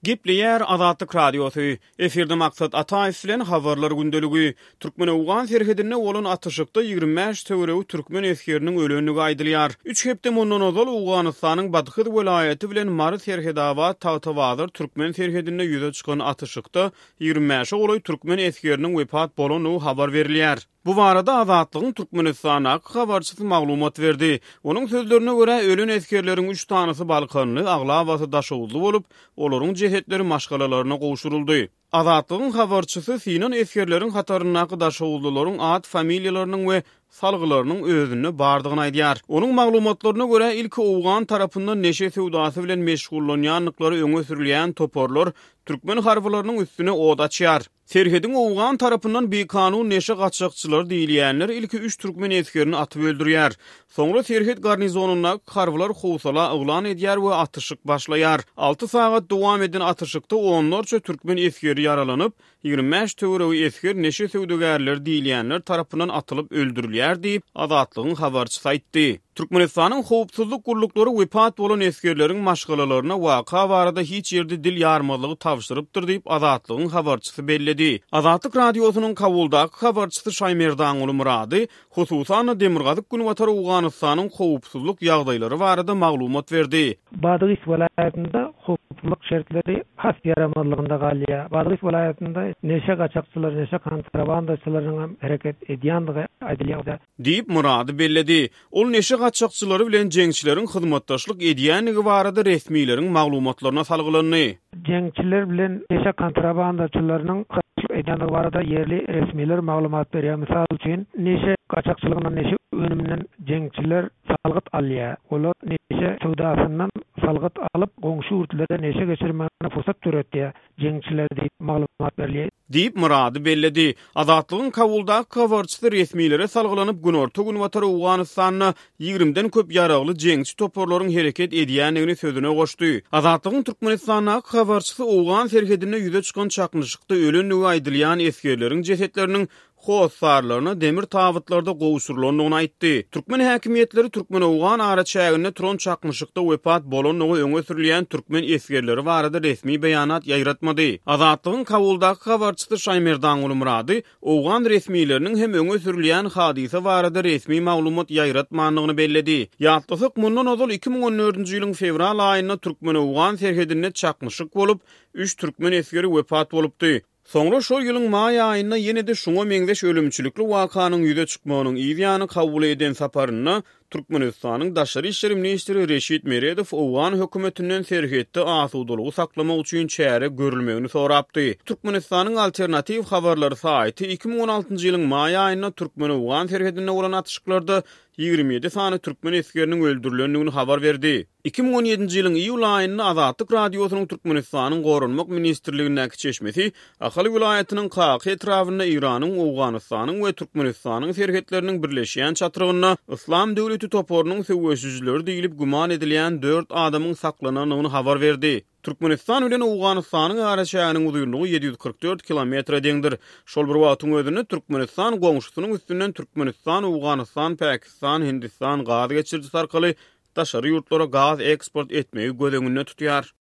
Gepleýär Azatlyk Radiosy, Efirde Maksat Ataýew bilen Habarlar gündeligi. Türkmen-owgan serhedinde bolan atyşykda 25 töweregi türkmen esgeriniň ölendigi aýdylýar. Üç hepde mundan ozal Owganystanyň Badhyz welaýaty bilen Mary-Serhetabat-Tagtabazar türkmen serhedinde ýüze çykan atyşykda 25-e golaý türkmen esgeriniň wepat bolandygy habar berilýär. Bu barada Azatlygyň Türkmenistandaky habarçysy maglumat berdi. Onuň sözlerine görä, ölen esgerleriň üç sanysy balkanly, aglabasy daşoguzly bolup, olaryň jesetleri maşgalalaryna gowşuryldy. Azatlygyň habarçysy synan esgerleriň hataryndaky daşoguzlylaryň at-familiýalarynyň we salgylarynyň özünde bardygyny aýdýar. Onuň maglumatlaryna görä, ilki owgan tarapyndan neşe söwdasy bilen meşgullanýandyklary öňe sürülýän toparlar türkmen harbylarynyň üstüne ot açýar. Serhediň owgan tarapyndan bikanun neşe gaçakçylary diýilýänler ilki üç türkmen esgerini atyp öldürýär. Soňra serhet garnizonyndaky harbylar howsala yglan edýär we atyşyk başlaýar. Alty sagat dowam eden atyşykda onlarça türkmen esgeri ýaralanyp, 25 töweregi esger neşe söwdagärleri diýilýänler tarapyndan atylyp öldürilýär diýip, Azatlygyň habarçysy aýtdy. Türkmenistanyň howpsuzlyk gulluklary wepat bolan esgerleriň maşgalalaryna waka barada hiç ýerde dil ýarmazlygy tabşyrypdyr diýip, Azatlygyň habarçysy belledi. Azatlyk Radiosynyň Kabuldaky habarçysy Şaýmerdanguly Myrady, hususan-da, demirgazyk-günbatar Owganystanyň howpsuzlyk ýagdaýlary barada maglumat berdi. Badgys welaýatynda howpsuzlyk şertleri has ýaramazlygynda galýar. Badgys welaýatynda neşe gaçakçylary, neşe kontrabandaçylarynyň hem hereket edýändigi aýdylýar. Diýip, Myrady belledi. Ol neşe gaçakçylary bilen jeňçileriň hyzmatdaşlyk edýändigi barada resmileriň maglumatlaryna salgylandy. Jeňçiler bilen neşe kontrabandaçylarynyň hyzmatdaşlyk edýändigi barada ýerli resmiler maglumat berýär. Mysal üçin, neşe gaçakçylygyndan, neşe önüminden jeňçiler salgyt alýar. Olar neşe söwdasyndan salgyt alyp, goňşy ýurtlara neşe geçirmäge pursat döretýär. jeňçiler diýip maglumat berilýär. Diýip, Myrady belledi. Azatlygyň Kabuldaky habarçysy resmilere salgylanyp, günorta-günbatar Owganystanda ýigrimden köp ýaragly jeňçi toparlaryň hereket edýändigini sözüne goşdy. Azatlygyň Türkmenistandaky habarçysy owgan serhedinde ýüze çykan çaknyşykda ölendigi aýdylýan esgerleriň jesetleriniň hossarlaryna demir tabytlarda gowşurylandygyny aýtdy. Türkmen häkimiýetleri türkmen-owgan araçäginde turan çaknyşykda wepat bolandygy öňe sürülýän türkmen esgerleri barada resmi beýanat ýaýratmady. Azatlygyň Kabuldaky habarçysy Şaýmerdanguly Myrady owgan resmileriniň hem öňe sürülýän hadysa barada resmi maglumat ýaýratmandygyny belledi. Ýatlasak, mundan ozal 2014-nji ýylyň fewral aýynda türkmen-owgan serhedinde çaknyşyk bolup, üç türkmen esgeri wepat bolupdy. Soňra şol ýylyň maý aýynda ýene-de şuňa meňzeş ölümçilikli wakanyň ýüze çykmagynyň yz ýany Kabula eden saparynda Türkmenistanyň daşary işler ministri Reşit Meredow owgan hökümetinden serhetde asudalygy saklamak üçin çäre görülmegini sorapdy. Türkmenistanyň Alternatiw habarlary saýty 2016-njy ýylyň maý aýynda türkmen-owgan serhedinde bolan atyşyklarda 27 sany türkmen esgeriniň öldürilendigini habar berdi. 2017-nji ýylyň iýul aýynda Azatlyk Radiosynyň Türkmenistanyň Goranmak ministrligindäki çeşmesi Ahal welaýatynyň Kaka etrabynda Eýranyň, Owganystanyň we Türkmenistanyň serhetleriniň birleşýän çatrygynda Yslam döwleti toparynyň söweşijileri diýlip güman edilýän dört adamyň saklanandygyny habar berdi. Türkmenistan bilen Owganystanyň araçäginiň uzynlygy 744 kilometre deňdir. Şol bir wagtyň özünde Türkmenistan goňşusynyň üstünden Türkmenistan, Owganystan, Pakistan, Hindistan gaz geçirijisi arkaly daşary ýurtlara gaz eksport etmegi göz öňünde tutýar.